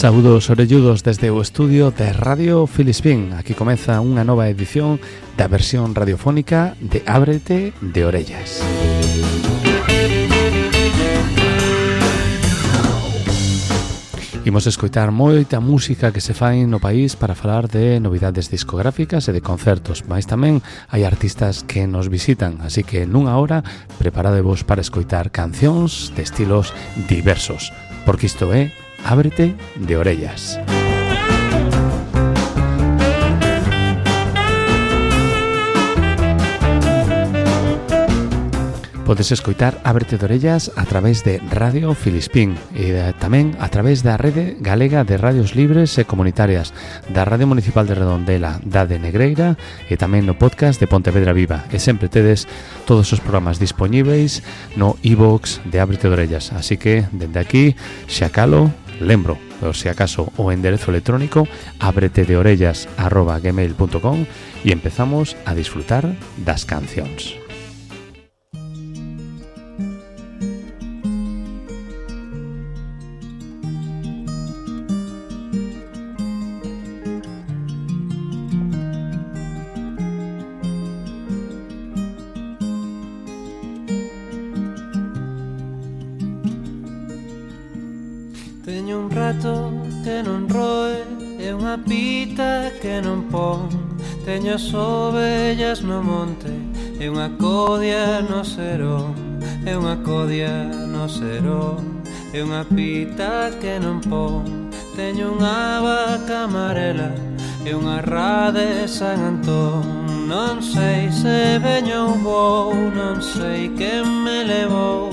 Saúdos orelludos desde o estudio de Radio Filispín. Aquí comeza unha nova edición da versión radiofónica de Ábrete de Orellas. Imos escoitar moita música que se fai no país para falar de novidades discográficas e de concertos, mas tamén hai artistas que nos visitan, así que nunha hora preparadevos para escoitar cancións de estilos diversos, porque isto é Ábrete de Orellas. Podes escoitar Ábrete de Orellas a través de Radio Filispín e tamén a través da Rede Galega de Radios Libres e Comunitarias, da Radio Municipal de Redondela, da de Negreira e tamén no podcast de Pontevedra Viva. E sempre tedes todos os programas dispoñíveis no iVoox de Ábrete de Orellas. Así que, dende aquí, xa calo, lembro, por si acaso, o enderezo electrónico abretedeorellas@gmail.com e empezamos a disfrutar das cancións. Teño un rato que non roe e unha pita que non pon. Teño as ovellas no monte e unha codia no serón. E unha codia no serón e unha pita que non pon. Teño unha vaca amarela e unha ra de San Antón. Non sei se veño ou vou, non sei quen me levou.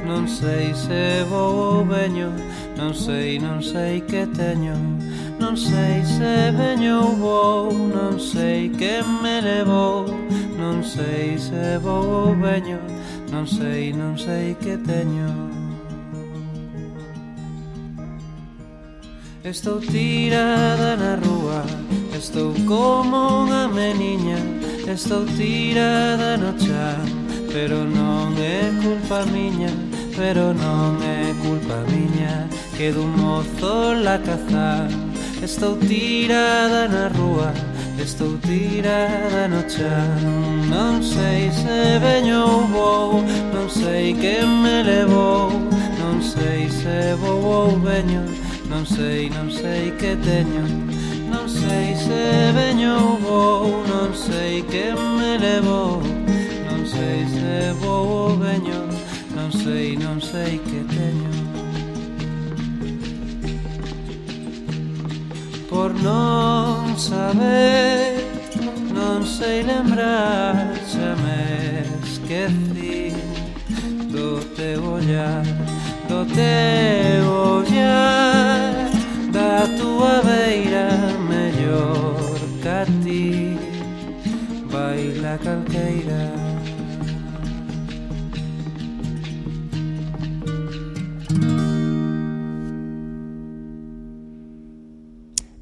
Non sei se vou ou veño, non sei que teño. Non sei se veño ou vou, non sei quen me levou. Non sei se vou ou veño, non sei que teño. Estou tirada na rúa, estou como unha meniña. Estou tirada no chan, pero non é culpa miña. Pero non é culpa miña que dun mozo la cazar. Estou tirada na rúa, estou tirada no chan. Non sei se veño ou vou, non sei quen me levou. Non sei se vou ou veño, non sei que teño. Non sei se veño ou vou, non sei quen me levou. Non sei se vou ou veño, non sei que teño. Por non saber, non sei lembrar, xa me esqueci do teu ollar, do teu ollar, da tua beira mellor ca ti, baila calqueira.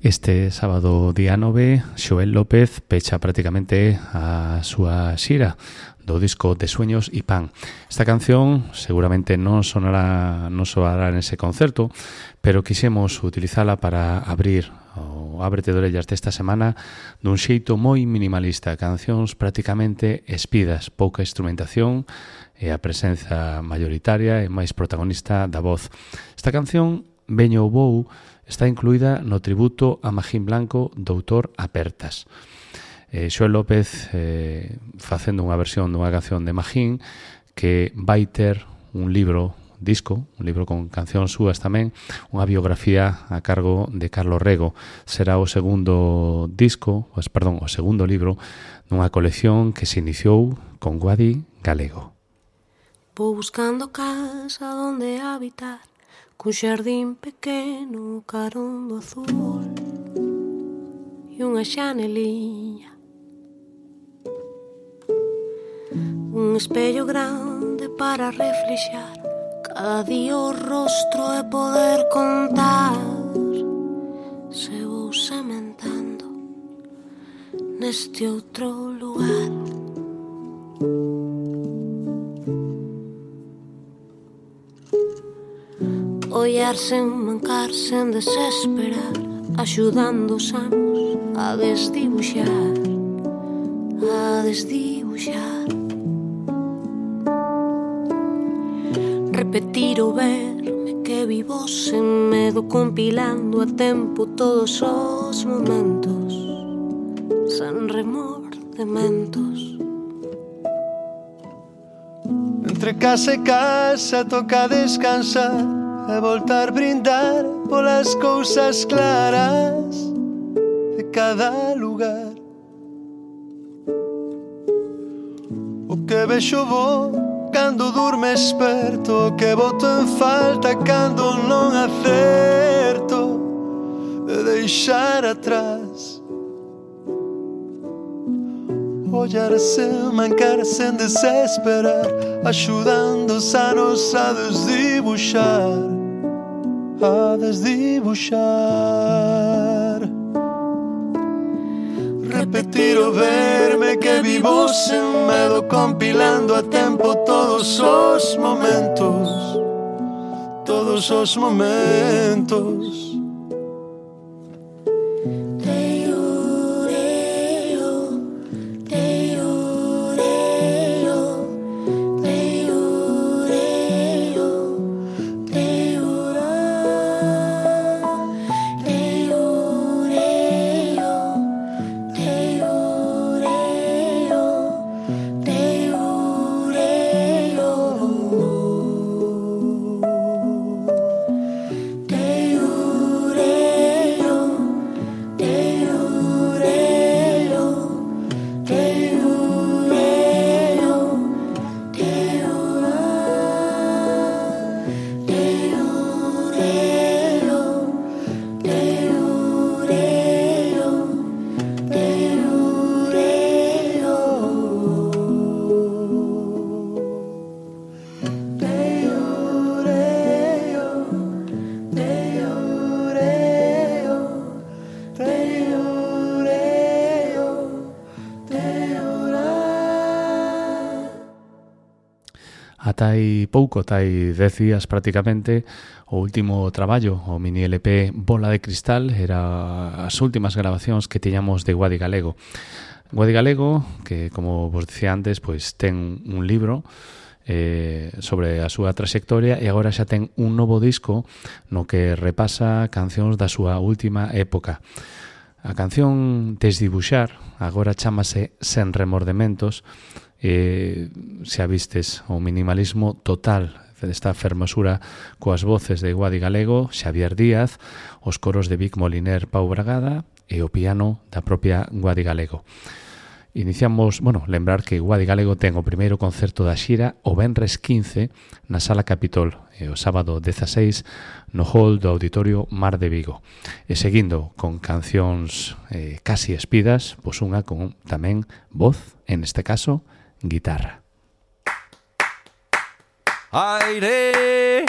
Este sábado día 9, Xoel López pecha prácticamente a súa xira do disco de Sueños y Pan. Esta canción seguramente non soará nese concerto, pero quixemos utilizala para abrir o Ábrete de Orellas desta semana dun xeito moi minimalista, cancións prácticamente espidas, pouca instrumentación e a presenza mayoritaria e máis protagonista da voz. Esta canción, Veño ou Vou, está incluída no tributo a Magín Blanco Doutor Apertas. Xoel López facendo unha versión dunha canción de Magín que vai ter un libro con cancións súas tamén, unha biografía a cargo de Carlos Rego. Será o segundo libro nunha colección que se iniciou con Guadi Galego. Vou buscando casa donde habitar, cun xardín pequeno, carón do azul e unha xaneliña, un espello grande para reflexar cada día o rostro e poder contar se vou sementando neste outro lugar. follar sen mancar, sen desesperar, axudando os anos a desdibuxar, a desdibuxar. Repetir o verme que vivo sen medo, compilando a tempo todos os momentos, sen remordementos. Entre casa e casa toca descansar e voltar brindar polas cousas claras de cada lugar. O que vexo bo cando durme esperto, o que boto en falta cando non acerto de deixar atrás. Ollar sen mancar, sen desesperar, axudando os anos a desdibuxar, a desdibuxar. Repetir o verme que vivo sen medo, compilando a tempo todos os momentos, todos os momentos. Atai pouco, atai 10 días prácticamente, o último traballo, o mini LP Bola de Cristal, era as últimas grabacións que tiñamos de Guadi Galego. Guadi Galego, que como vos dicía antes, pois ten un libro sobre a súa traxectoria e agora xa ten un novo disco no que repasa cancións da súa última época. A canción Desdibuxar agora chámase Sen Remordementos. Se avistes o minimalismo total desta fermosura coas voces de Guadi Galego, Xavier Díaz, os coros de Vic Moliner, Pau Bragada e o piano da propia Guadi Galego. Iniciamos, lembrar que Guadi Galego ten o primeiro concerto da xira o venres 15 na Sala Capitol e o sábado 16 no hall do Auditorio Mar de Vigo. E seguindo con cancións casi espidas, pois unha con tamén voz, en este caso, guitarra. Aire,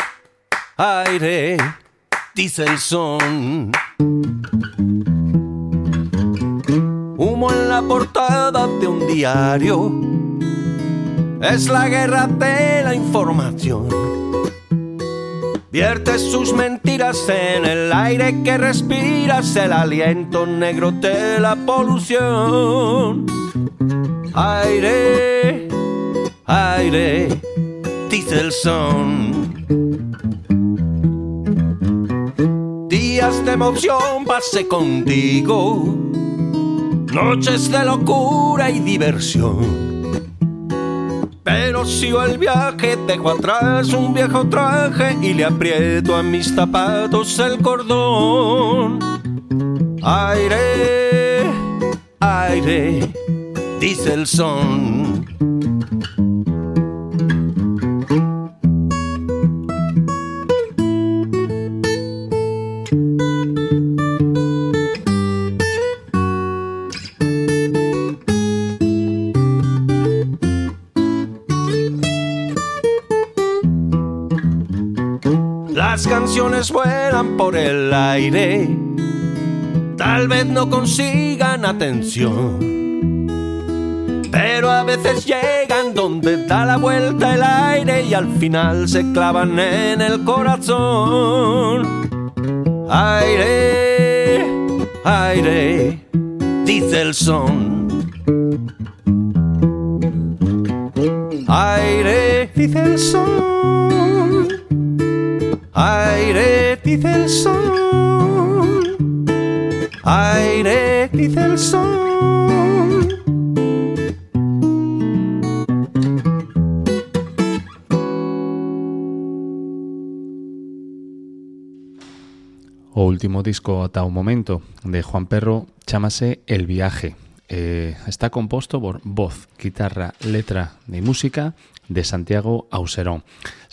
aire, dice el son. Humo en la portada de un diario. Es la guerra de la información. Vierte sus mentiras en el aire que respiras, el aliento negro de la polución. Aire, aire, dice el son. Días de emoción pasé contigo, noches de locura y diversión. Pero sigo el viaje, dejo atrás un viejo traje y le aprieto a mis zapatos el cordón. Aire, aire, dice el son. Las canciones vuelan por el aire, tal vez no consigan atención, pero pero a veces llegan donde da la vuelta el aire y al final se clavan en el corazón. Aire, aire, dice el son. Aire, dice el son. Aire, dice el son. Aire, dice el son. O último disco ata o momento de Juan Perro chámase El Viaje. Está composto por voz, guitarra, letra e música de Santiago Auserón.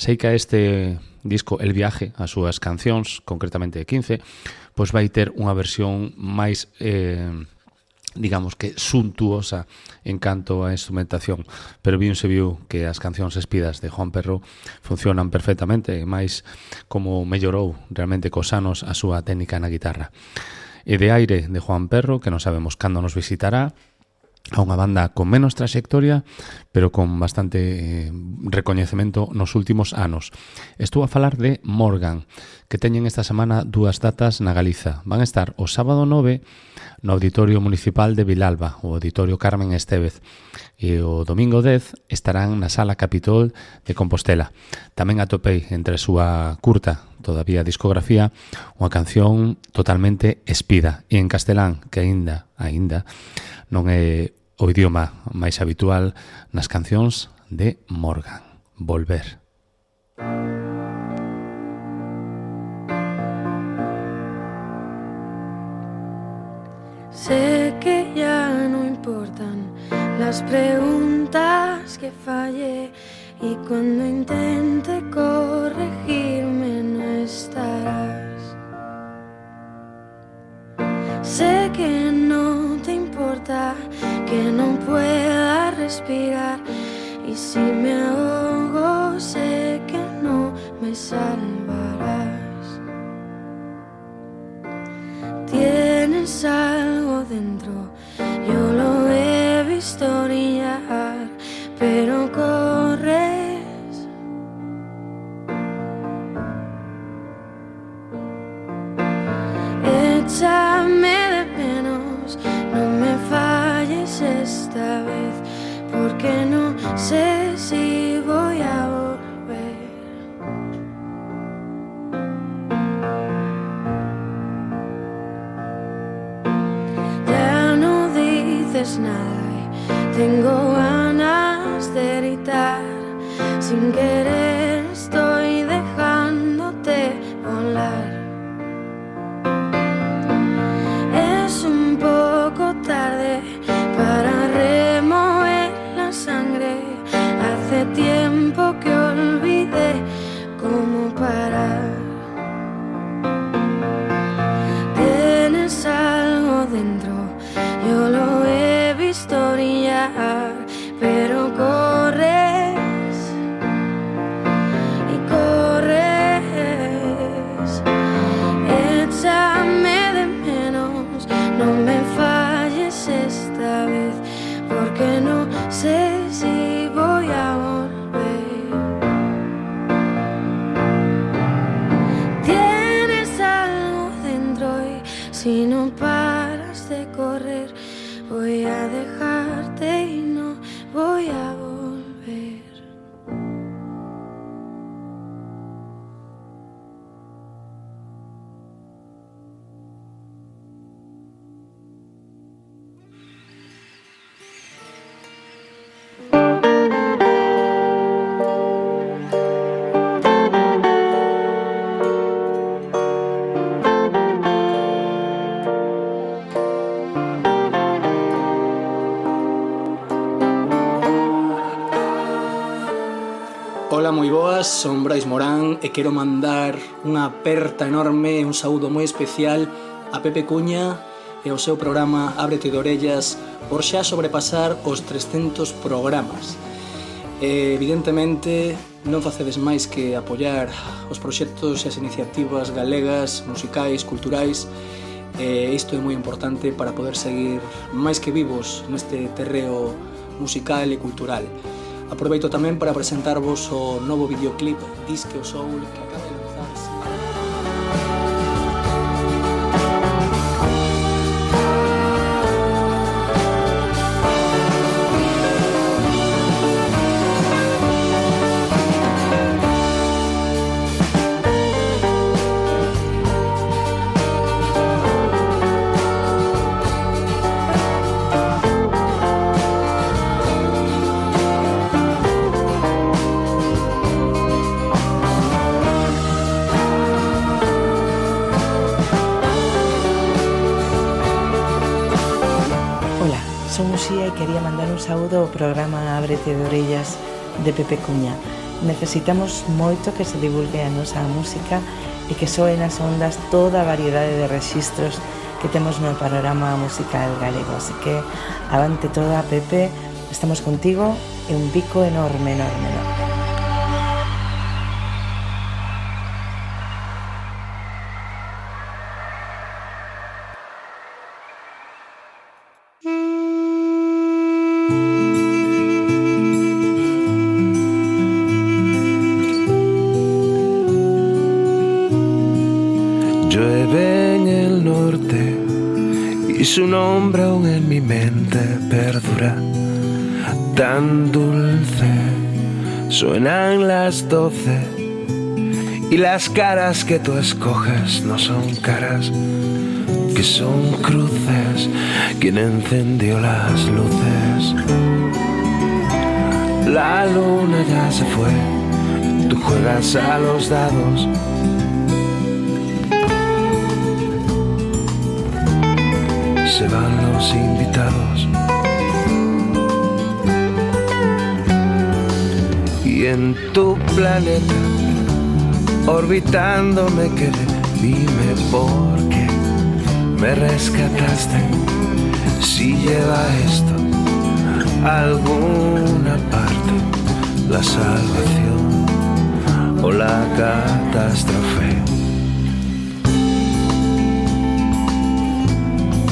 Sei que a este disco El Viaje, as súas cancións, concretamente 15, pois vai ter unha versión máis digamos que suntuosa en canto a instrumentación, pero bien se viu que as cancións espidas de Juan Perro funcionan perfectamente, máis como mellorou realmente cos anos a súa técnica na guitarra. E de Aire de Juan Perro, que non sabemos cando nos visitará, a unha banda con menos trayectoria, pero con bastante recoñecemento nos últimos anos. Estou a falar de Morgan, que teñen esta semana dúas datas na Galiza. Van a estar o sábado 9 no Auditorio Municipal de Vilalba, o Auditorio Carmen Estévez, e o domingo 10 estarán na Sala Capitol de Compostela. Tamén atopei entre a súa curta, todavía discografía, unha canción totalmente espida, e en castelán, que aínda non é o idioma máis habitual nas cancións de Morgan. Volver. Sé que ya no importan las preguntas que fallé y cuando intente corregirme no estarás. Sé que no te importa que no pueda respirar y si me ahogo sé que no me salvarás. Tienes algo dentro, yo lo he visto brillar, pero corres. Échame de menos, no me falles esta vez, porque no sé si voy a volver. Nada y tengo ganas de gritar, sin querer estoy dejándote volar. Es un poco tarde para remover la sangre, hace tiempo que olvidé cómo parar. Tienes algo dentro, yo lo he visto brillar, pero corres y corres. Échame de menos, no me falles esta vez, porque no sé si voy a volver. Tienes algo dentro y si no paras de correr voy a dejarte y no voy a volver. Ola, moi boas, son Brais Morán e quero mandar unha aperta enorme e un saúdo moi especial a Pepe Cuña e ao seu programa Ábrete de Orellas por xa sobrepasar os 300 programas. Evidentemente non facedes máis que apoiar os proxectos e as iniciativas galegas, musicais, culturais, e isto é moi importante para poder seguir máis que vivos neste terreo musical e cultural. Aproveito tamén para presentarvos o novo videoclip Disque o Soul que acaba de lanzarse. E quería mandar un saúdo ao programa Ábrete de Orellas de Pepe Cuña. Necesitamos moito que se divulgue a nosa música e que soe nas ondas toda a variedade de rexistros que temos no panorama musical galego. Así que avante toda, Pepe, estamos contigo e un bico enorme, enorme, enorme. Su nombre aún en mi mente perdura, tan dulce. Suenan las 12 y las caras que tú escoges no son caras, que son cruces. ¿Quién encendió las luces? La luna ya se fue, tú juegas a los dados. Se van los invitados y en tu planeta orbitando me quedé. Dime por qué me rescataste, si lleva esto a alguna parte, la salvación o la catástrofe.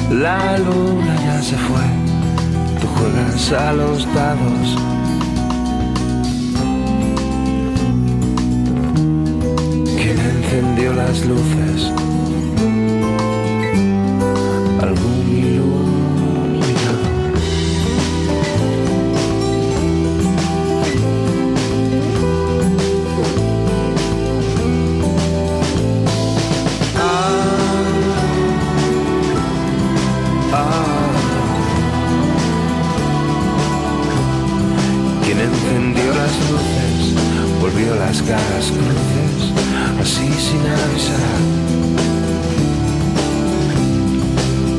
La luna ya se fue, tú juegas a los dados. ¿Quién encendió las luces? Algún iluminado. Quien encendió las luces volvió las caras cruces, así sin avisar.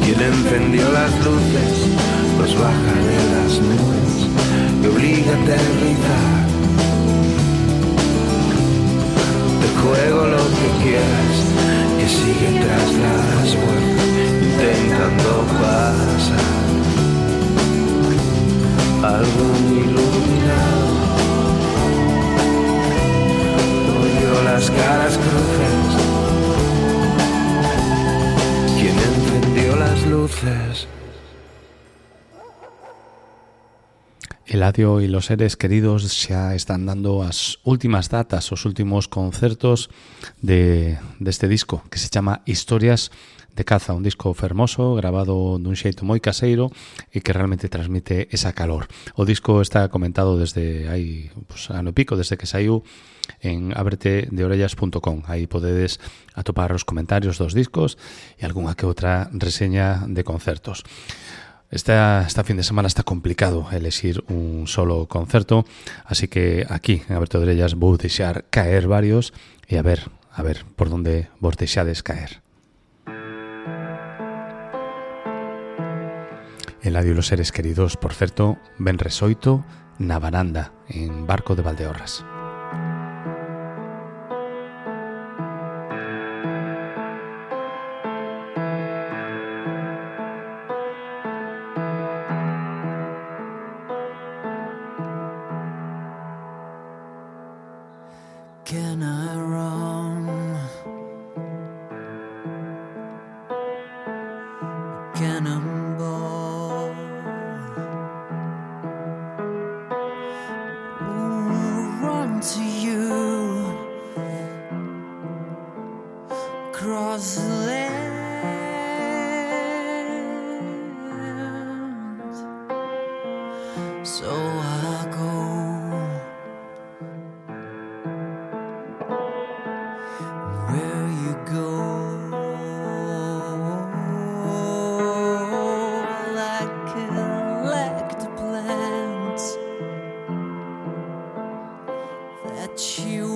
Quien encendió las luces los baja de las nubes y obliga a aterrizar. Te juego lo que quieras, que sigue tras las puertas intentando pasar. Algún iluminado volvió las caras cruces. ¿Quién encendió las luces? Eladio e los seres queridos xa están dando as últimas datas, os últimos concertos deste disco que se chama Historias de Caza, un disco fermoso, grabado dun xeito moi caseiro e que realmente transmite esa calor. O disco está comentado desde hai ano e pico, desde que saiu en abretedeorellas.com. Aí podedes atopar os comentarios dos discos e algunha que outra reseña de concertos. Esta fin de semana está complicado elexir un solo concerto, así que aquí en Abrete de Orellas vou deixar caer varios e a ver por onde vos deixades caer. Eladio e los seres queridos, por certo, ben resoito na varanda en Barco de Valdeorras. Can I run? Cannonball. to you across the land. So I go where you go, like elect plants that you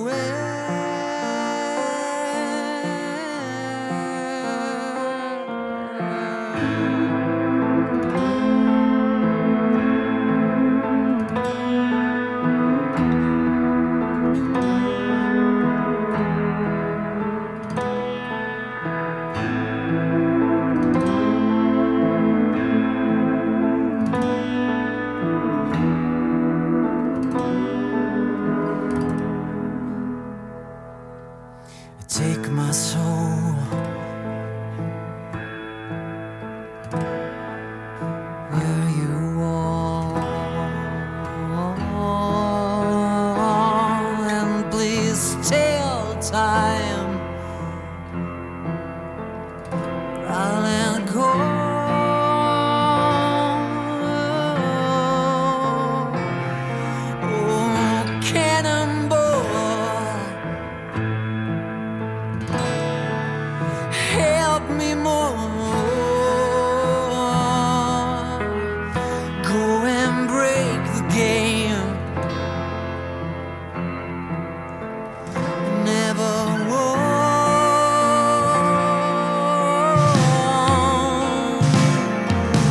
take my soul where you are, and please tell time I'll let go. Oh, cannonball, help me more. Go and break the game. Never won.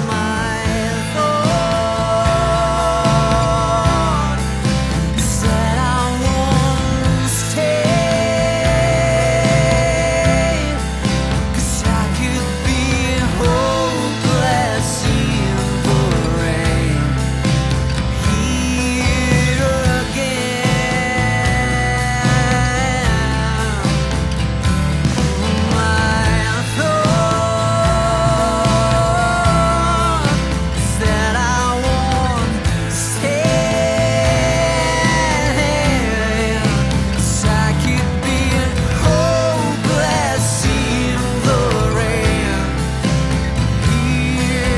My thought said I won't stay, 'cause I could be hopeless in the rain. Here again. My thought said I won't stay, 'cause I could be hopeless in the rain. Here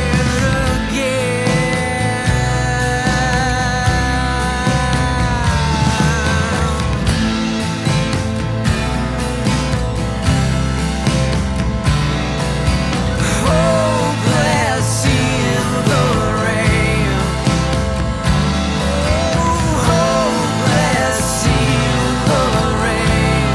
hopeless in the rain. Hopeless in the rain.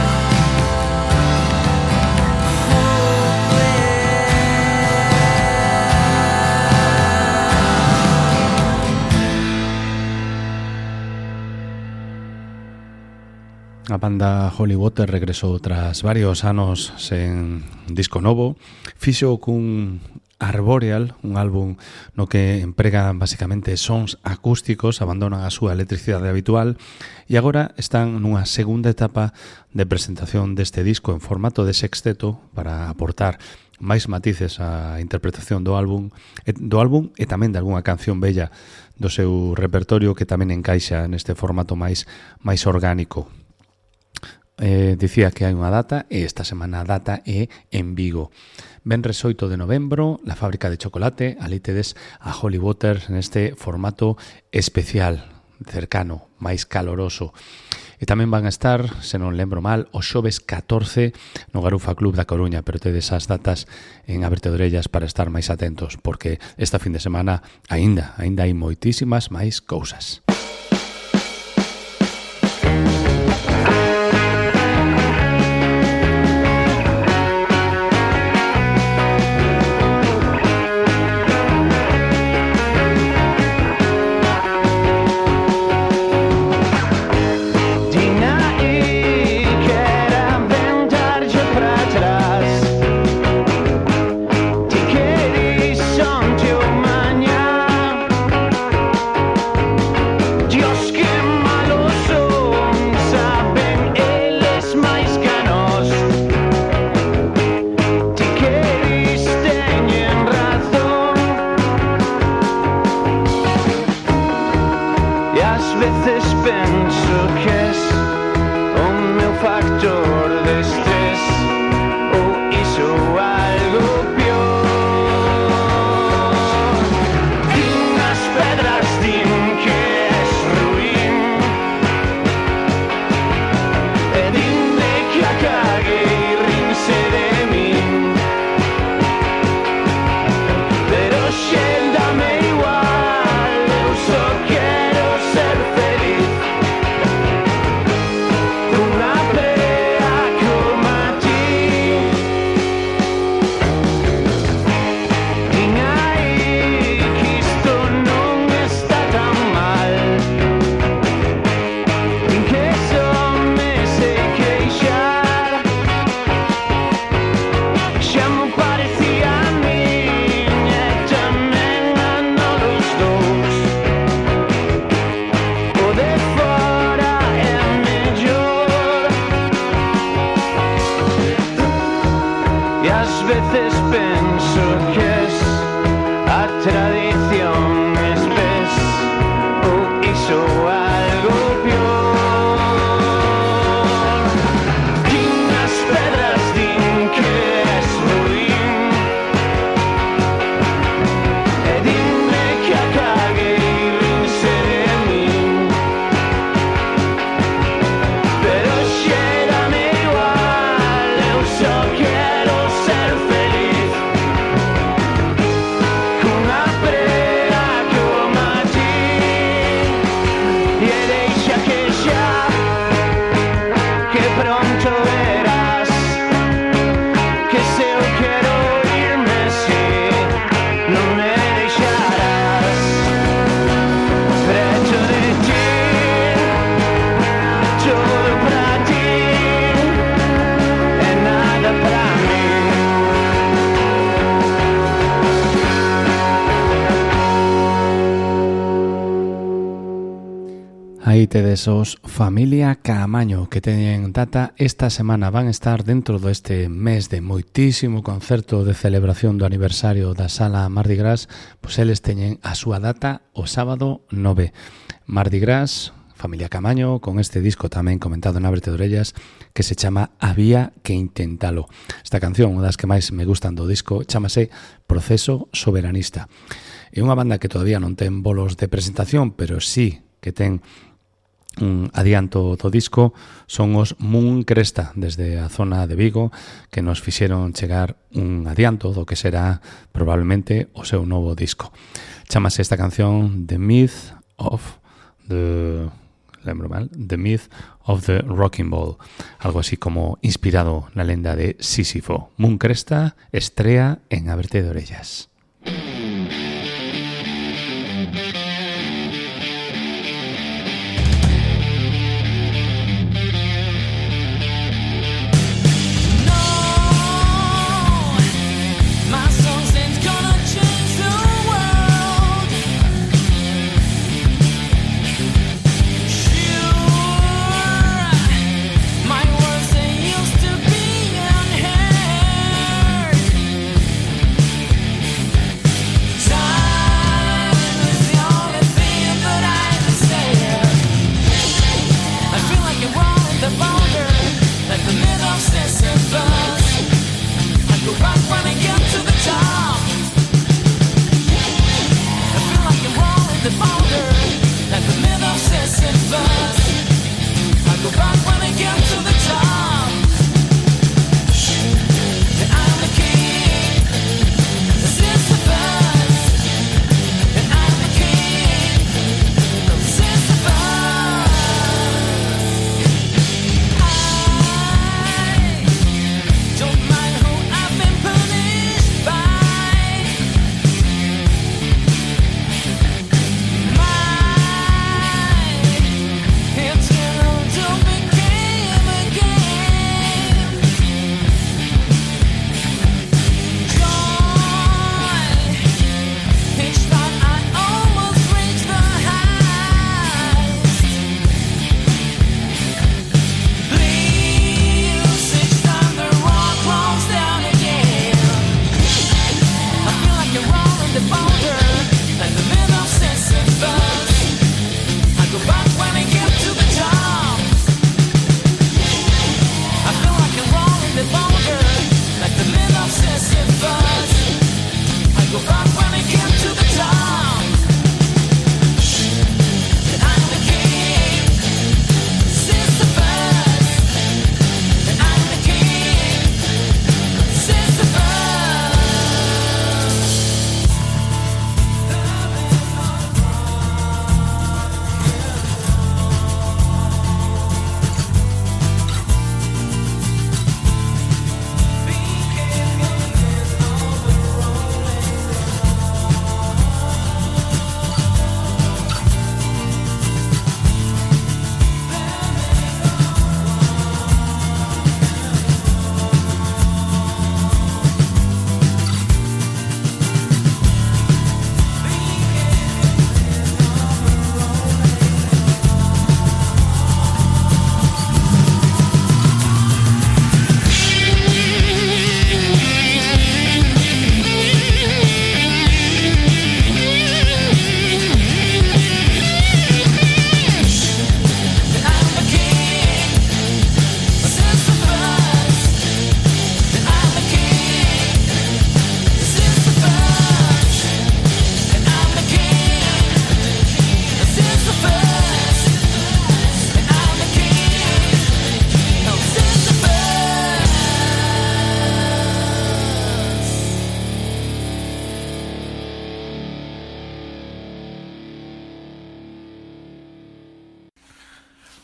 A banda Holy Water regresou tras varios anos sen disco novo. Fixo cun Arboreal, un álbum no que emprega basicamente sons acústicos, abandonan a súa electricidade habitual e agora están nunha segunda etapa de presentación deste disco en formato de sexteto para aportar máis matices á interpretación do álbum e tamén de algunha canción bella do seu repertorio que tamén encaixa neste formato máis orgánico. Dicía que hai unha data e esta semana a data é en Vigo. Venres 8 de novembro, la fábrica de chocolate, ali tedes a Holy Water neste formato especial, cercano, máis caloroso. E tamén van a estar, se non lembro mal, o xoves 14 no Garufa Club da Coruña, pero tedes as datas en Ábrete de Orellas para estar máis atentos, porque esta fin de semana aínda hai moitísimas máis cousas. veces penso que es Aí tedes os Familia Caamaño, que teñen data esta semana. Van estar dentro deste mes de moitísimo concerto de celebración do aniversario da Sala Mardi Gras. Pois eles teñen a súa data o sábado 9. Mardi Gras, Familia Caamaño, con este disco tamén comentado en Ábrete de Orellas, que se chama Había que intentalo. Esta canción, unha das que máis me gustan do disco, chamase Proceso Soberanista. É unha banda que todavía non ten bolos de presentación, pero sí que ten un adianto do disco. Son os Moon Cresta, desde a zona de Vigo, que nos fixeron chegar un adianto do que será probablemente o seu novo disco. Chámase esta canción The Myth of the Rocking Ball, algo así como inspirado na lenda de Sísifo. Moon Cresta estrea en Ábrete de Orellas.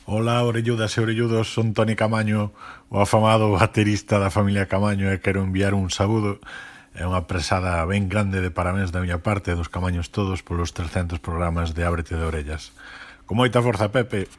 Ola, orelludas e orelludos, son Toni Caamaño, o afamado baterista da familia Caamaño, e quero enviar un saúdo e unha presada ben grande de parabéns da miña parte dos Caamaños todos polos 300 programas de Ábrete de Orellas. Con moita forza, Pepe!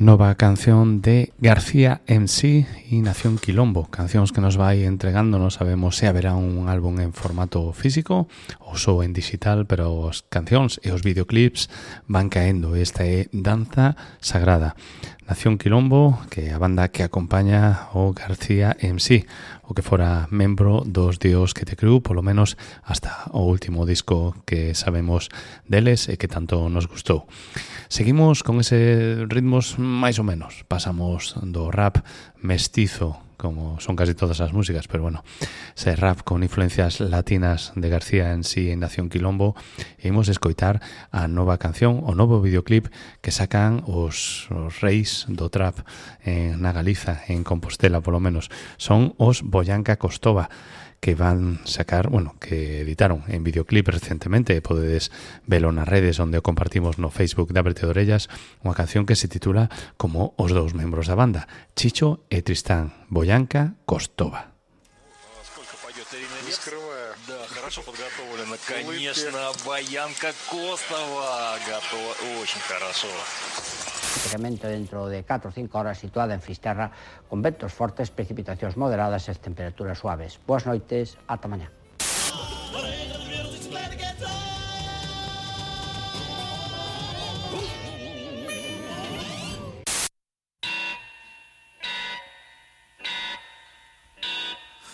Nova canción de García MC y Nación Quilombo, cancións que nos vai entregando. Non sabemos se haberá un álbum en formato físico ou só en digital, pero as cancións e os videoclips van caendo. Esta é Danza Sagrada. Nación Quilombo, que é a banda que acompaña o García MC, o que fora membro dos Dios que te Crew, polo menos hasta o último disco que sabemos deles e que tanto nos gustou. Seguimos con ese ritmos máis ou menos. Pasamos do rap mestizo, como son casi todas as músicas, pero bueno, ese rap con influencias latinas de García en sí en Nación Quilombo, e imos escoitar a nova canción, o novo videoclip que sacan os reis do trap na Galiza, en Compostela polo menos. Son os Boyanca Costova, que van sacar, bueno, que editaron en videoclip recentemente, podedes velo nas redes onde o compartimos no Facebook de Ábrete de Orellas, unha canción que se titula como os dous membros da banda, Chicho e Tristán, Boyanca Costova. Хорошо подготовлено, конечно, Боянка Костова готова очень хорошо. Prácticamente dentro de 4 o 5 horas situada en Fisterra, con ventos fortes, precipitacións moderadas e temperaturas suaves. Boas noites, ata mañá.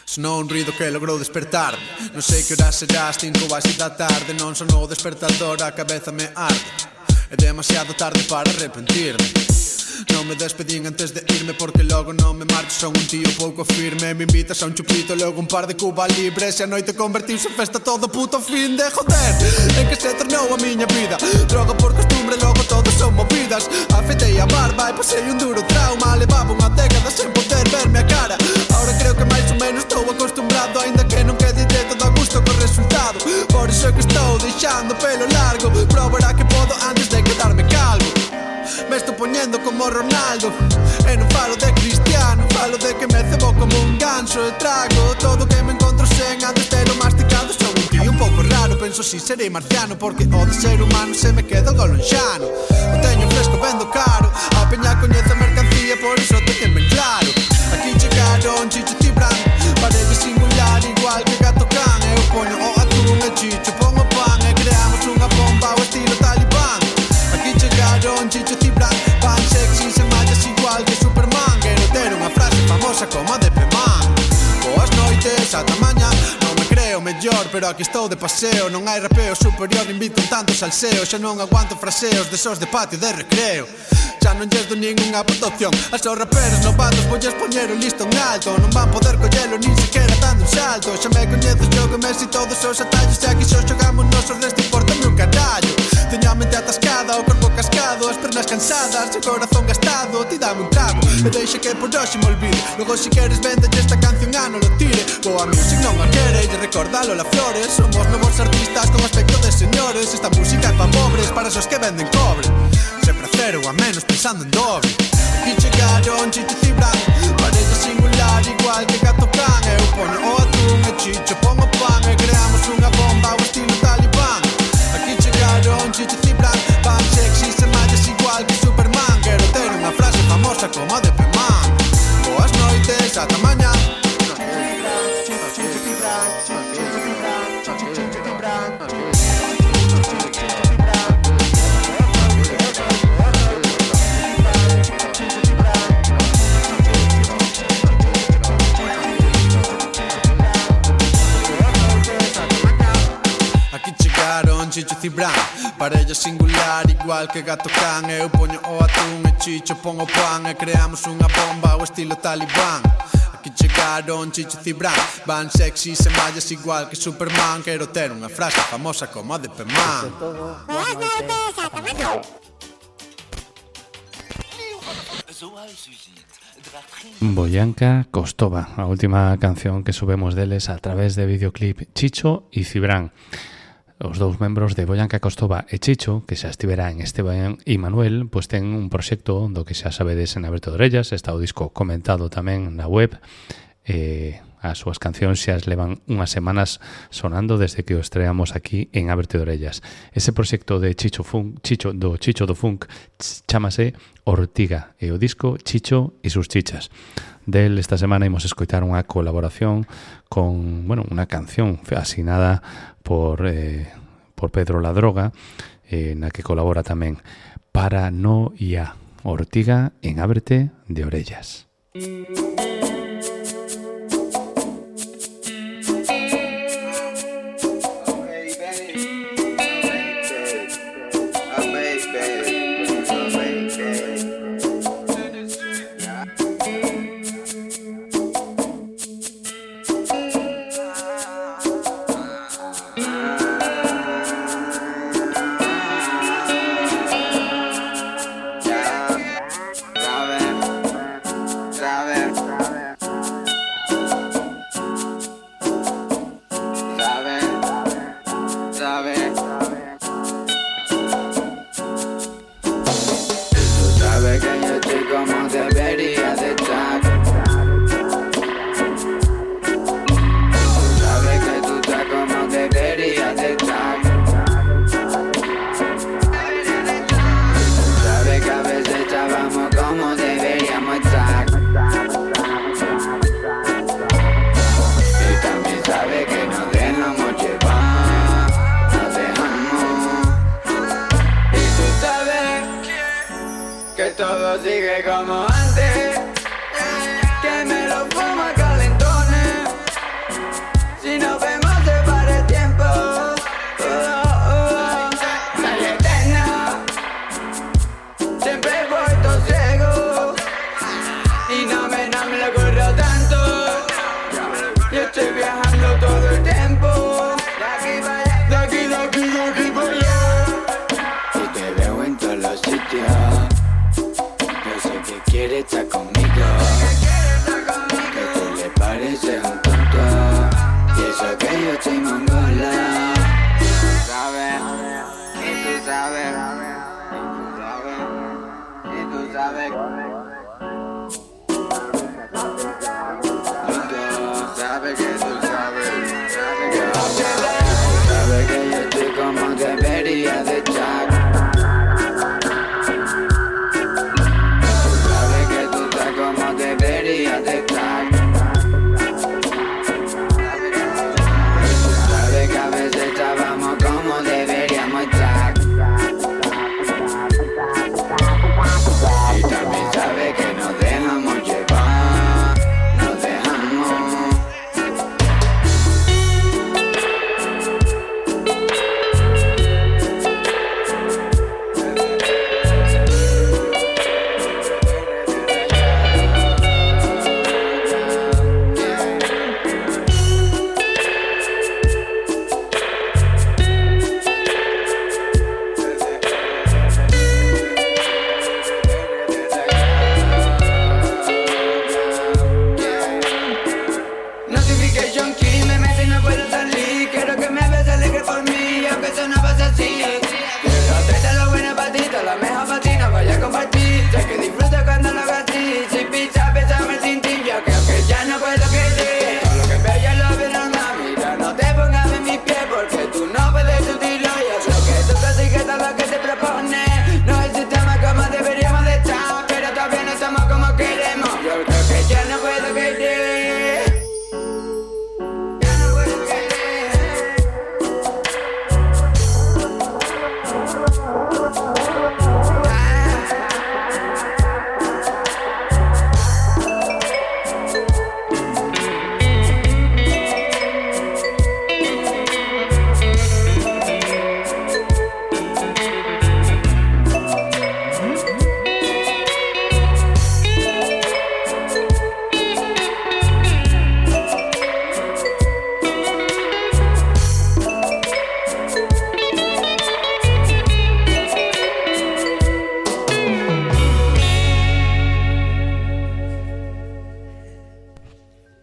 Sonou un ruido que logrou despertar. Non sei que hora será, as 5 ou as 6 da tarde. Non sonou o despertador, a cabeza me arde. É demasiado tarde para arrepentirme. Non me despedín antes de irme, porque logo non me marcho. Son un tío pouco firme. Me invitas a un chupito, logo un par de Cuba libres. E a noite convertiuse en festa todo puto fin de joder. En que se tornou a miña vida. Droga por costumbre, logo todo son movidas. Afeitei a barba e pasei un duro trauma. Levaba unha década sen poder verme a cara. Ahora creo que máis ou menos estou acostumbrado, aínda que non quede todo a gusto co resultado. Por iso é que estou deixando pelo largo. Probará que podo antes de quedarme calvo. Me estou poñendo como Ronaldo. E non falo de Cristiano, falo de que me cebo como un ganso. E trago todo que me encontro sen antes de lo masticado. Son un tío un pouco raro, penso si serei marciano, porque o de ser humano se me queda algo lonxano. O teño fresco, vendo caro. A peña coñece a mercancía, por iso teñen ben claro. Aquí chegaron Chicho e Cibrán, parelle singular igual que gato can. Eu poño o atún e Chicho pon o pan, e creamos unha bomba ao estilo talibán. Aquí chegaron Chicho e Cibrán, van sexy sen mallas igual que Superman. Quero ter unha frase famosa como a de P-Man. Boas noites, ata mañá. Non me creo mellor, pero aquí estou de paseo. Non hai rapeo superior, invito un tanto salseo. Xa non aguanto fraseos desos de patio de recreo. Xa non lles do ningunha protección. As os raperos novatos volles poñer o listón alto. Non van poder collelo nin sequera dando un salto. Xa me coñezo, xogo Messi todos os atallos. E aquí xo xogamos nosos resto importa-me un carallo. Teño a mente atascada, o corpo cascado, as pernas cansadas, o corazón gastado. Ti dame un trago e deixa que por hoxe me olvide. Logo si queres vendelle esta canción a non lo tire. Boa music non a quere e recordalo la Flores. Somos novos artistas con aspecto de señores. Esta música é pa pobres, para esos que venden cobre. Sempre a cero a menos pensando en doble. Aquí chegaron Chicho e Cibrán, parelle singular igual que gato can. Eu poño o atún e Chicho pon o pan, e creamos unha bomba ao estilo talibán. Aquí chegaron Chicho e Cibrán, van sexy sen mallas igual que Superman. Quero ter unha frase famosa como a de P-Man. Boas noites, ata mañá. Chicho e Cibrán, parella singular igual que gato can. Eu poño o atún e Chicho pon o pan, e creamos unha bomba ao estilo talibán. Aquí chegaron Chicho e Cibrán, van sexy sen mallas igual que Superman. Quero ter unha frase famosa como a de P-Man. Boyanca Costova, a última canción que subemos deles a través de videoclip. Chicho e Cibrán, os dous membros de Boyanca Costova e Chicho, que xa estivera en Esteban e Manuel, pois ten un proxecto do que xa sabedes en Aberto de Orellas. Está o disco comentado tamén na web. As súas cancións xa levan unhas semanas sonando desde que o estreamos aquí en Ábrete de Orellas. Ese proxecto de Chicho do Funk chámase Ortiga e o disco Chicho e sus chichas. Del esta semana imos escoitar unha colaboración con, unha canción asinada por Pedro La Droga, na que colabora tamén Paranoia. Ortiga en Ábrete de Orellas.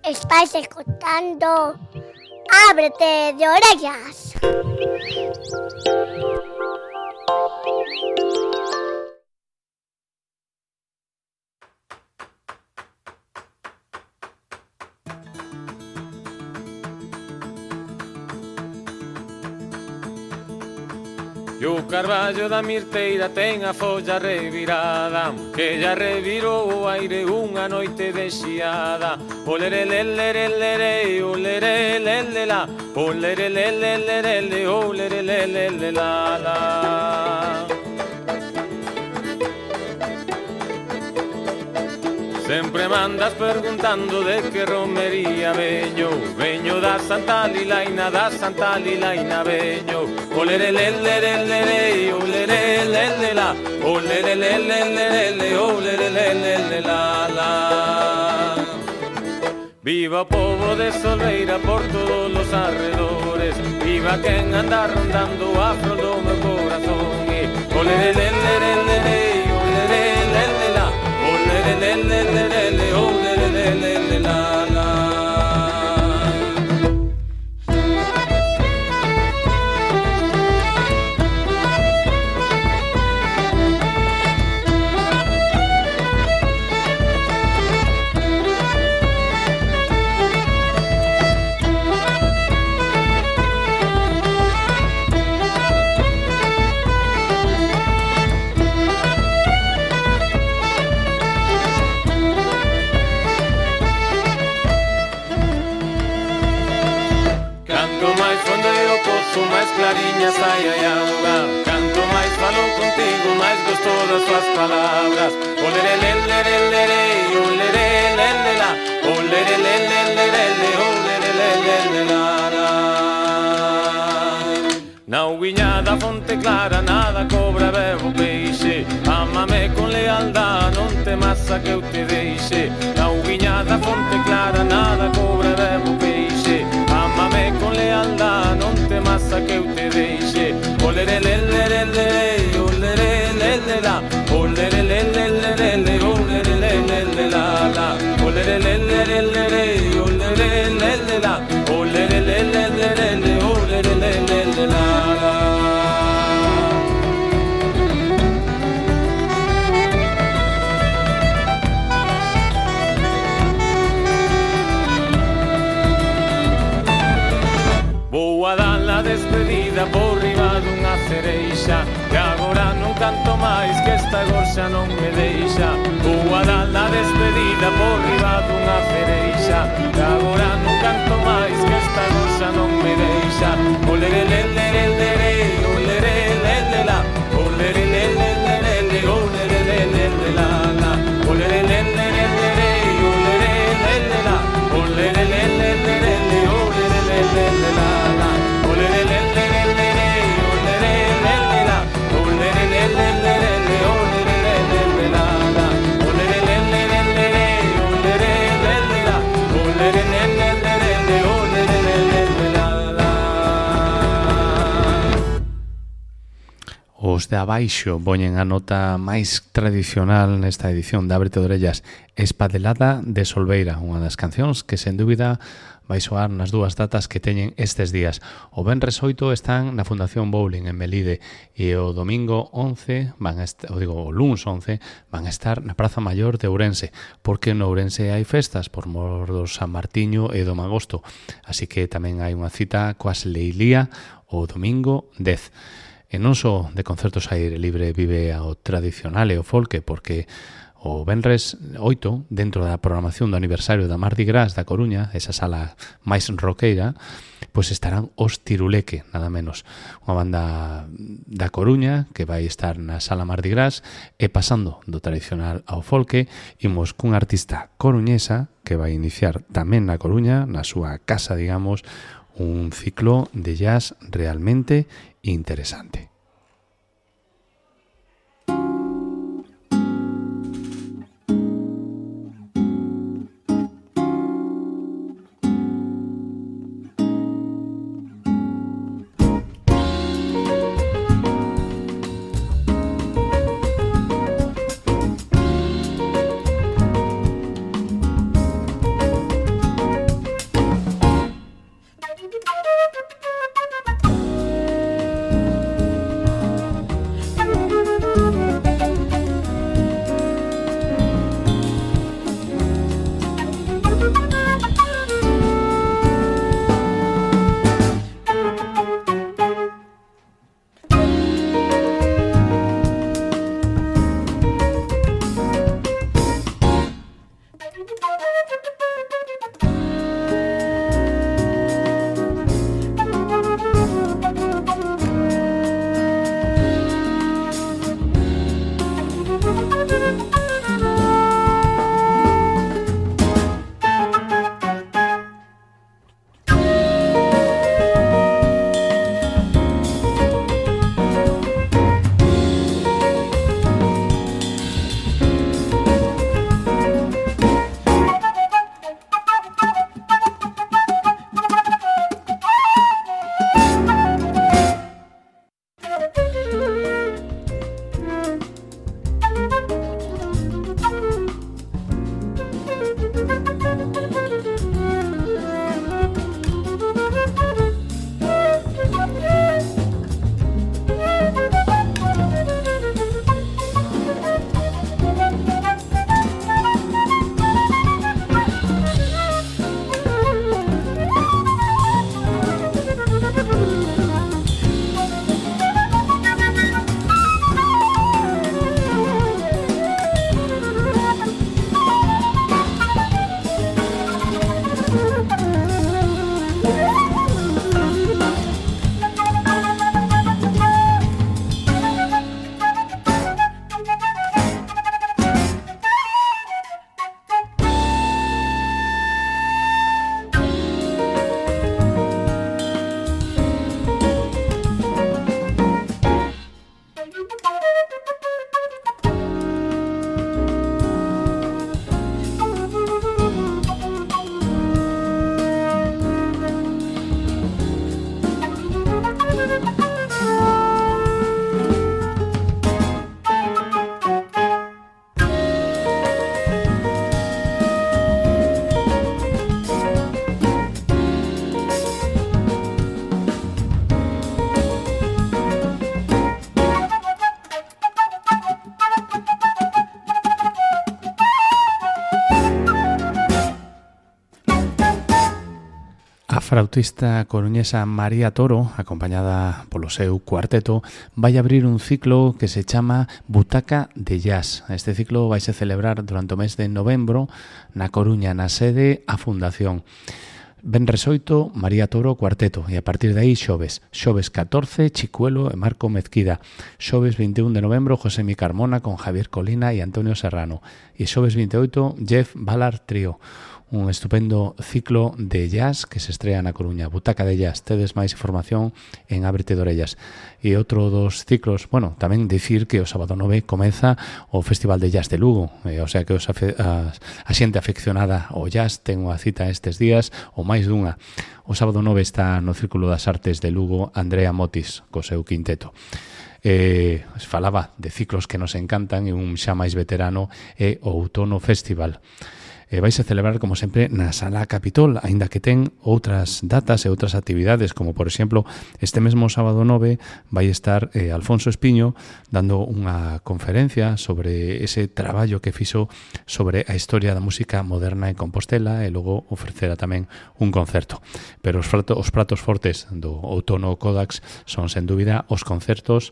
Estáis escuchando Ábrete de Orellas. E o carballo da mirteira ten a folla revirada, que ya revirou o aire unha noite de xiada. Olerelelelelele, olerelelelele, olerelelelele, olerelelelele, la la. Sempre mandas preguntando de que romería veño. Veño da Santa Lilaina, da Santa Lilaina veño. Olerelelelele, olerelelele, olerelelelele, olerelelele, la la. Viva o pobo de Solveira por todos los arredores. Viva quen anda rondando a flor do meu corazón. Olerelelelele, olerelelele, olerelelelele, olerelelele, la la. Mais clariña sai a auga. Canto máis falo contigo, máis gosto das tuas palabras. Olerelelelele, olerelelele, olerelelelele, olerelelele, la la. Na uguiña da fonte clara nada cobra bebo peixe. Ámame con lealdad, non temas a que eu te deixe. Na uguiña da fonte clara nada cobra bebo peixe. Ámame con lealdad, non temas a que eu te deixe. Olerelelelele, olerelelele, olerelelelele, olerelelele, la la. Olerelelelele, olerelelele, olerelelelele, olerelelele, la la. Vou a dar a despedida por riba dunha cereixa, que agora non canto máis, que esta gorxa non me deixa. Vou a dar a despedida por riba dunha cereixa, que agora non canto máis, que esta gorxa non me deixa. Olerelelelele, olerelelele, olerelelelele, olerelelele, la la. Olerelelelele, olerelelele, olerelelelele, olerelelele, la la. Os de abaixo poñen a nota máis tradicional nesta edición de Ábrete de Orellas, Espadelada de Solveira, unha das cancións que sen dúbida vai soar nas dúas datas que teñen estes días. O venres 8 están na Fundación Bowling en Melide e o domingo 11 o luns 11 van a estar na Praza Maior de Ourense, porque no Ourense hai festas por mor do San Martiño e do Magosto, así que tamén hai unha cita coas Leilía o domingo 10. E non só de concertos a aire libre vive o tradicional e o folque, porque o venres 8, dentro da programación do aniversario da Mardi Gras da Coruña, esa sala máis roqueira, pois estarán os Tiruleque, nada menos. Unha banda da Coruña que vai estar na sala Mardi Gras, e pasando do tradicional ao folque, imos cunha artista coruñesa que vai iniciar tamén na Coruña, na súa casa, digamos, un ciclo de jazz realmente interesante. flautista coruñesa María Toro, acompañada polo seu cuarteto, vai abrir un ciclo que se chama Butaca de Jazz. Este ciclo vai se celebrar durante o mes de novembro na Coruña, na sede A Fundación. Venres 8, María Toro, cuarteto, e a partir de aí xoves 14, Chicuelo e Marco Mezquida, xoves 21 de novembro, José Mi Carmona con Javier Colina e Antonio Serrano, e xoves 28, Jeff Ballard Trío. Un estupendo ciclo de jazz que se estrea na Coruña. Butaca de Jazz, tedes máis información en Ábrete de Orellas. E outro dos ciclos, bueno, tamén dicir que o sábado 9 comeza o Festival de Jazz de Lugo, o sea que a xente afeccionada ao jazz ten unha cita estes días ou máis dunha. O sábado 9 está no Círculo das Artes de Lugo Andrea Motis co seu quinteto. Falaba de ciclos que nos encantan e un xa máis veterano é o Outono Festival. Vais a celebrar, como sempre, na Sala Capitol, aínda que ten outras datas e outras actividades, como, por exemplo, este mesmo sábado 9 vai estar Alfonso Espiño dando unha conferencia sobre ese traballo que fixo sobre a historia da música moderna en Compostela e logo ofrecerá tamén un concerto. Pero os pratos fortes do Outono Codax son, sen dúbida, os concertos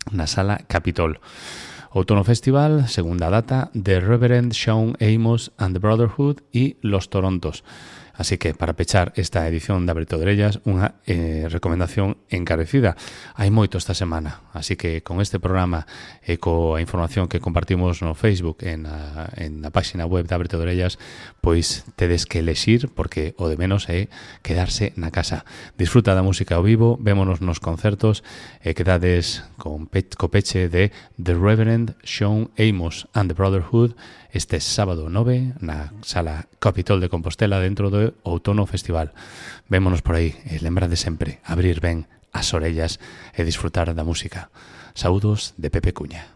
na Sala Capitol. Outono Festival, segunda data, The Reverend Sean Amos and the Brotherhood y Los Torontos. Así que, para pechar esta edición de Ábrete de Orellas, unha recomendación encarecida. Hai moito esta semana, así que con este programa e coa información que compartimos no Facebook en a página web de Ábrete de Orellas, pois tedes que elexir, porque o de menos é quedarse na casa. Disfruta da música ao vivo, vémonos nos concertos e quedades co peche de The Reverend Sean Amos and the Brotherhood este sábado 9 na Sala Capitol de Compostela dentro do Outono Festival. Vémonos por aí e lembra de sempre abrir ben as orellas e disfrutar da música. Saúdos de Pepe Cuña.